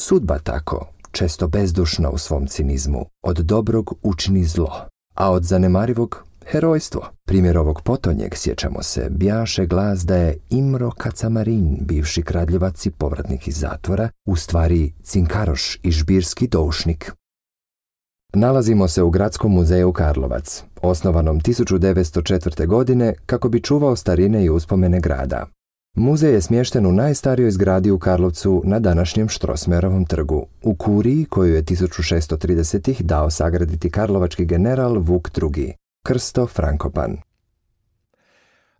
Sudba tako, često bezdušna u svom cinizmu, od dobrog učini zlo, a od zanemarivog herojstvo. Primjer ovog potonjeg, sjećamo se, bjaše glas da je Imro Kacamarin, bivši kradljivac i povratnik iz zatvora, u stvari cinkaroš i žbirski doušnik. Nalazimo se u Gradskom muzeju Karlovac, osnovanom 1904. godine kako bi čuvao starine i uspomene grada. Muzej je smješten u najstarijoj zgradi u Karlovcu na današnjem Štrosmajerovom trgu, u kuriji koju je 1630-ih dao sagraditi karlovački general Vuk II, Krsto Frankopan.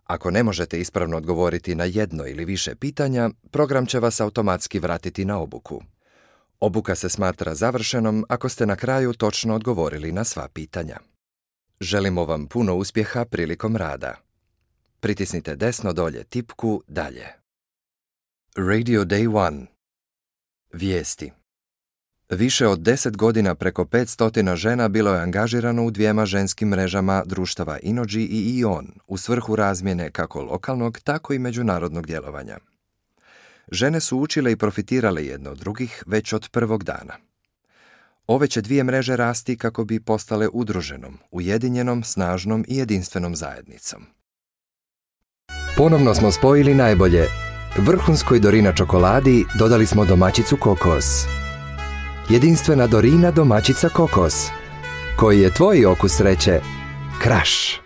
Ako ne možete ispravno odgovoriti na jedno ili više pitanja, program će vas automatski vratiti na obuku. Obuka se smatra završenom ako ste na kraju točno odgovorili na sva pitanja. Želimo vam puno uspjeha prilikom rada. Pritisnite desno dolje tipku dalje. Radio Day 1. Vijesti. Više od 10 godina preko 500 žena bilo je angažirano u 2 ženskim mrežama društava Inođi i Ion u svrhu razmjene kako lokalnog, tako i međunarodnog djelovanja. Žene su učile i profitirale jedno od drugih već od prvog dana. Ove će 2 mreže rasti kako bi postale udruženom, ujedinjenom, snažnom i jedinstvenom zajednicom. Ponovno smo spojili najbolje. Vrhunskoj Dorina čokoladi dodali smo domaćicu kokos. Jedinstvena Dorina domaćica kokos. Koji je tvoj okus sreće? Kraš.